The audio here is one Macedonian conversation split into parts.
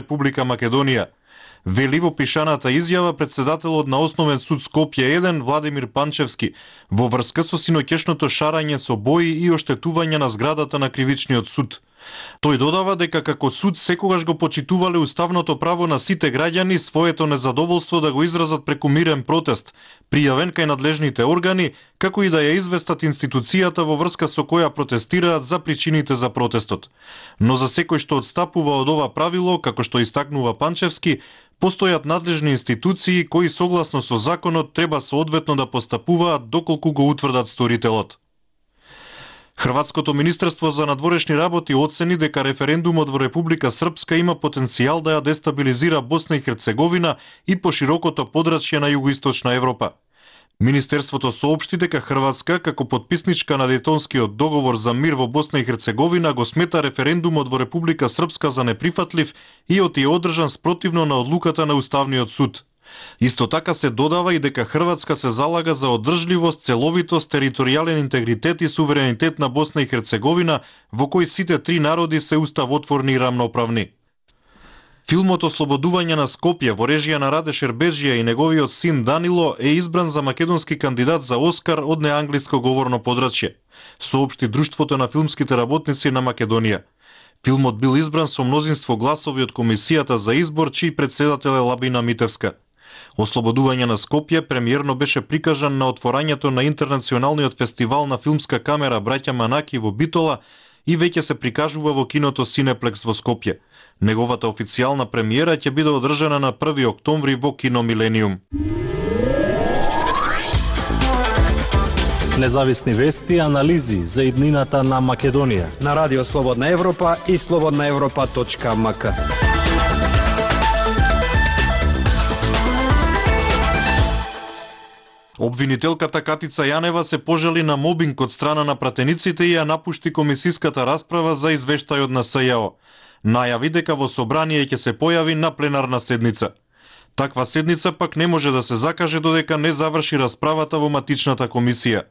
Република Македонија. Вели во пишаната изјава председателот на Основен суд Скопје 1 Владимир Панчевски во врска со синоќешното шарање со бои и оштетување на зградата на кривичниот суд. Тој додава дека како суд секогаш го почитувале уставното право на сите граѓани своето незадоволство да го изразат преку мирен протест, пријавен кај надлежните органи, како и да ја известат институцијата во врска со која протестираат за причините за протестот. Но за секој што одстапува од ова правило, како што истакнува Панчевски, постојат надлежни институции кои согласно со законот треба соодветно да постапуваат доколку го утврдат сторителот. Хрватското министерство за надворешни работи оцени дека референдумот во Република Српска има потенцијал да ја дестабилизира Босна и Херцеговина и поширокото подрачје на југоисточна Европа. Министерството соопшти дека Хрватска, како потписничка на Дејтонскиот договор за мир во Босна и Херцеговина, го смета референдумот во Република Српска за неприфатлив и е одржан спротивно на одлуката на Уставниот суд. Исто така се додава и дека Хрватска се залага за одржливост, целовитост, територијален интегритет и суверенитет на Босна и Херцеговина, во кој сите три народи се уставотворни и рамноправни. Филмот Ослободување на Скопје во режија на Раде Шербеджија и неговиот син Данило е избран за македонски кандидат за Оскар од неанглиско говорно подрачје, соопшти Друштвото на филмските работници на Македонија. Филмот бил избран со мнозинство гласови од комисијата за избор, чиј председател е Лабина Митевска. Ослободување на Скопје премиерно беше прикажан на отворањето на Интернационалниот фестивал на филмска камера Браќа Манаки во Битола и веќе се прикажува во киното Синеплекс во Скопје. Неговата официјална премиера ќе биде одржана на 1 октомври во Кино Милениум. Независни вести и анализи за иднината на Македонија на Радио Слободна Европа и slobodnaevropa.mk. Обвинителката Катица Јанева се пожали на мобинг од страна на пратениците и ја напушти комисиската расправа за извештајот на СЈО. Најави дека во собрание ќе се појави на пленарна седница. Таква седница пак не може да се закаже додека не заврши расправата во матичната комисија.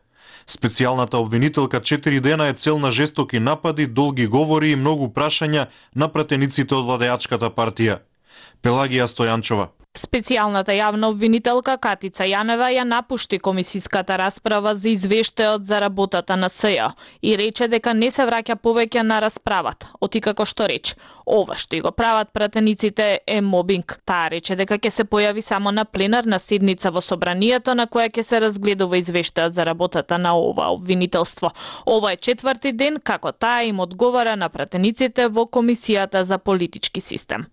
Специјалната обвинителка 4 дена е цел на жестоки напади, долги говори и многу прашања на пратениците од владеачката партија. Пелагија Стојанчова. Специјалната јавна обвинителка Катица Јанева ја напушти комисиската расправа за извештајот за работата на СЈО и рече дека не се враќа повеќе на расправата, оти како што рече. Ова што и го прават пратениците е мобинг. Таа рече дека ќе се појави само на пленарна седница во собранието на која ќе се разгледува извештајот за работата на ова обвинителство. Ова е 4ти ден како таа им одговара на пратениците во Комисијата за политички систем.